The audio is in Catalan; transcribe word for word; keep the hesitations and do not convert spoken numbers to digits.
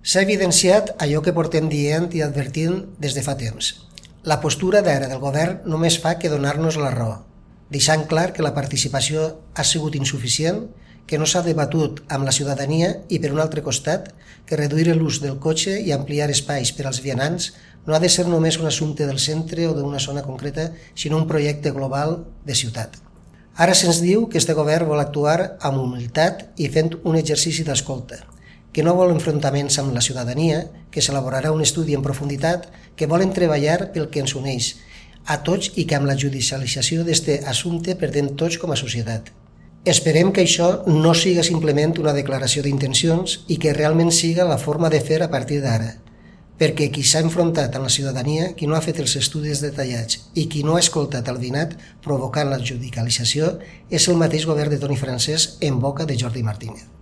S'ha evidenciat allò que portem dient i advertint des de fa temps. La postura d'ara del govern només fa que donar-nos la raó, deixant clar que la participació ha sigut insuficient, que no s'ha debatut amb la ciutadania i, per un altre costat, que reduir l'ús del cotxe i ampliar espais per als vianants no ha de ser només un assumpte del centre o d'una zona concreta, sinó un projecte global de ciutat. Ara se'ns diu que este govern vol actuar amb humilitat i fent un exercici d'escolta, que no vol enfrontaments amb la ciutadania, que s'elaborarà un estudi en profunditat, que volen treballar pel que ens uneix a tots i que amb la judicialització d'aquest assumpte perdem tots com a societat. Esperem que això no siga simplement una declaració d'intencions i que realment siga la forma de fer a partir d'ara, perquè qui s'ha enfrontat amb la ciutadania, qui no ha fet els estudis detallats i qui no ha escoltat el veïnat provocant la judicialització és el mateix govern de Toni Francesc en boca de Jordi Martínez.